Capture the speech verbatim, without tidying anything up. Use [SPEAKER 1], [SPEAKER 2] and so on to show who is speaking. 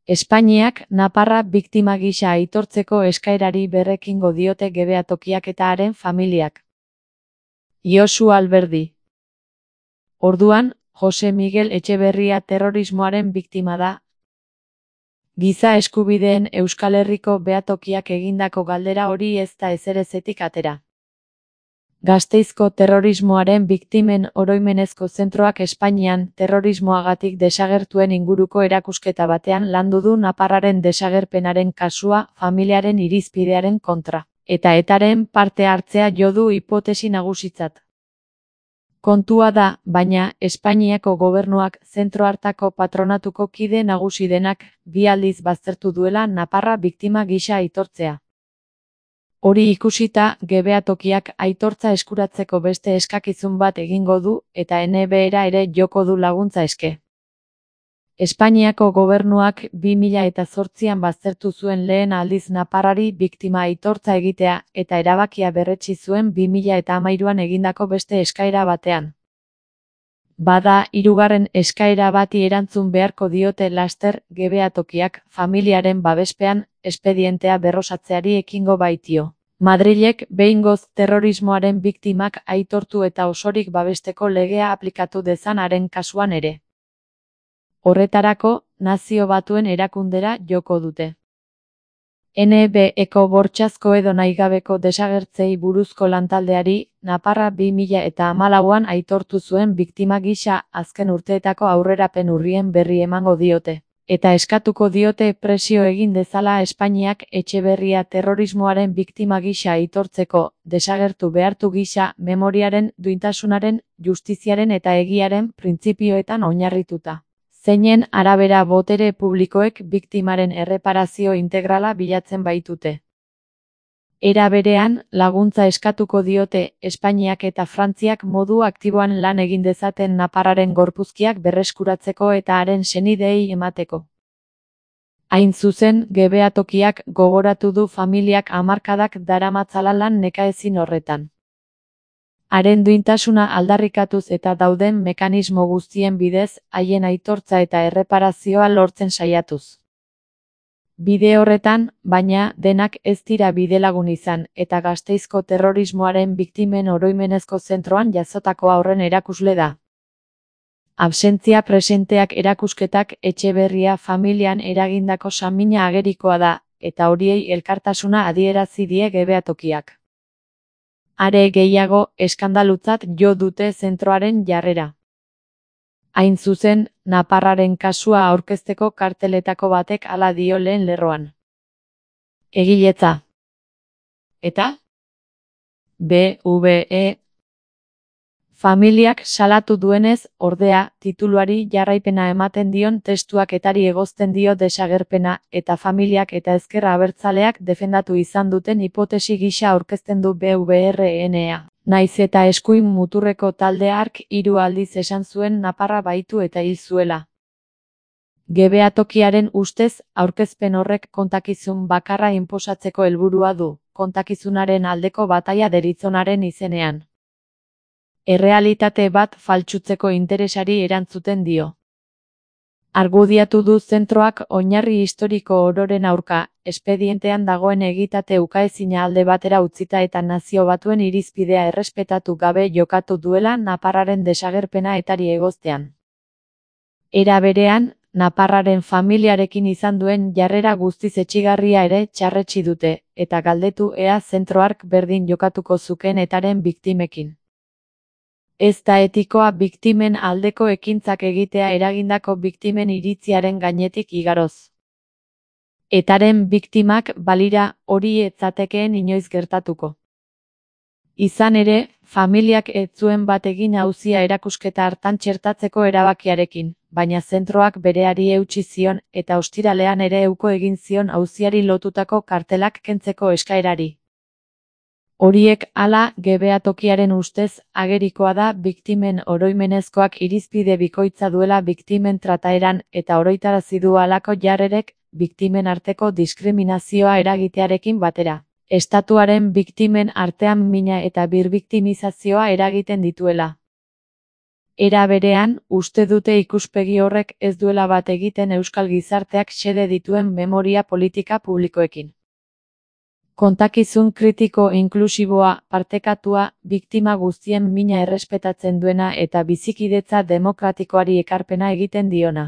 [SPEAKER 1] Espainiak naparra biktima gisa aitortzeko eskaerari berrekingo diote Gebeatokiak eta haren familiak. Josu Alberdi. Orduan, Jose Miguel Etxeberria terrorismoaren biktima da. Giza eskubideen Euskal Herriko behatokiak egindako galdera hori ez da ezerezetik atera. Gasteizko terrorismoaren biktimen oroimenezko zentroak Espainian terrorismoagatik desagertuen inguruko erakusketa batean landu du naparraren desagerpenaren kasua familiaren irizpidearen kontra, eta etaren parte hartzea jo du hipotesi nagusitzat. Kontua da, baina, Espainiako gobernuak zentro hartako patronatuko kide nagusi denak bi aldiz baztertu duela naparra biktima gisa aitortzea. Hori ikusita, Gebeatokiak aitortza eskuratzeko beste eskakizun bat egingo du eta N B era ere joko du laguntza eske. Espainiako gobernuak bi mila zortzian baztertu zuen lehen aldiz naparrari biktima aitortza egitea eta erabakia berretsi zuen bi mila hamairuan egindako beste eskaera batean. Bada, hirugarren eskaera bati erantzun beharko diote laster Gebeatokiak familiaren babespean espedientea berrosatzeari ekingo baitio. Madrilek behingoz terrorismoaren biktimak aitortu eta osorik babesteko legea aplikatu dezan haren kasuan ere. Horretarako, Nazio Batuen erakundera joko dute. N B eko bortxazko edo nahigabeko desagertzei buruzko lantaldeari, naparra bi mila hamalauan aitortu zuen biktima gisa azken urteetako aurrerapen urrien berri emango diote, eta eskatuko diote presio egin dezala Espainiak Etxeberria terrorismoaren biktima gisa aitortzeko, desagertu behartu gisa memoriaren, duintasunaren, justiziaren eta egiaren printzipioetan oinarrituta. Zeinen arabera botere publikoek biktimaren erreparazio integrala bilatzen baitute. Era berean, laguntza eskatuko diote Espainiak eta Frantziak modu aktiboan lan egin dezaten naparraren gorpuzkiak berreskuratzeko eta haren senideei emateko. Hain zuzen, Gebeatokiak gogoratu du familiak hamarkadak daramatzala lan nekaezin horretan. Haren duintasuna aldarrikatuz eta dauden mekanismo guztien bidez, haien aitortza eta erreparazioa lortzen saiatuz. Bide horretan, baina, denak ez dira bidelagun izan, eta Gasteizko terrorismoaren biktimen oroimenezko zentroan jazotako haurren erakusle da. Absentzia presenteak erakusketak Etxeberria familian eragindako samina agerikoa da, eta horiei elkartasuna adierazi die Gebeatokiak. Are gehiago, eskandalutzat jo dute zentroaren jarrera. Hain zuzen, naparraren kasua aurkezteko karteletako batek hala dio lehen lerroan. Egiletza. Eta? B V E. Familiak salatu duenez, ordea, tituluari jarraipena ematen dion testuak etari egozten dio desagerpena, eta familiak eta ezker abertzaleak defendatu izan duten hipotesi gisa aurkezten du B V R N A. Naiz eta eskuin muturreko talde hark hiru aldiz esan zuen naparra baitu eta hil zuela. Gebeatokiaren ustez, aurkezpen horrek kontakizun bakarra inposatzeko helburua du, kontakizunaren aldeko bataila deritzonaren izenean. Errealitate bat faltsutzeko interesari erantzuten dio. Argudiatu du zentroak oinarri historiko ororen aurka, espedientean dagoen egitate ukaezina alde batera utzita eta Nazio Batuen irizpidea errespetatu gabe jokatu duela naparraren desagerpena etari egoztean. Era berean, naparraren familiarekin izan duen jarrera guztiz etsigarria ere txarretsi dute, eta galdetu ea zentroark berdin jokatuko zuken etaren biktimekin. Ez da etikoa biktimen aldeko ekintzak egitea eragindako biktimen iritziaren gainetik igaroz. Etaren biktimak balira hori ez zatekeen inoiz gertatuko. Izan ere, familiak ez zuen bat egin auzia erakusketa hartan txertatzeko erabakiarekin, baina zentroak bereari eutsi zion eta ostiralean ere euko egin zion auziari lotutako kartelak kentzeko eskaerari. Horiek hala Gebeatokiaren ustez agerikoa da biktimen oroimenezkoak irizpide bikoitza duela biktimen trataeran eta oroitarazi du halako jarrerek biktimen arteko diskriminazioa eragitearekin batera. Estatuaren biktimen artean mina eta birbiktimizazioa eragiten dituela. Era berean, uste dute ikuspegi horrek ez duela bat egiten euskal gizarteak xede dituen memoria politika publikoekin. Kontakizun kritiko inklusiboa, partekatua, biktima guztien mina errespetatzen duena eta bizikidetza demokratikoari ekarpena egiten diona.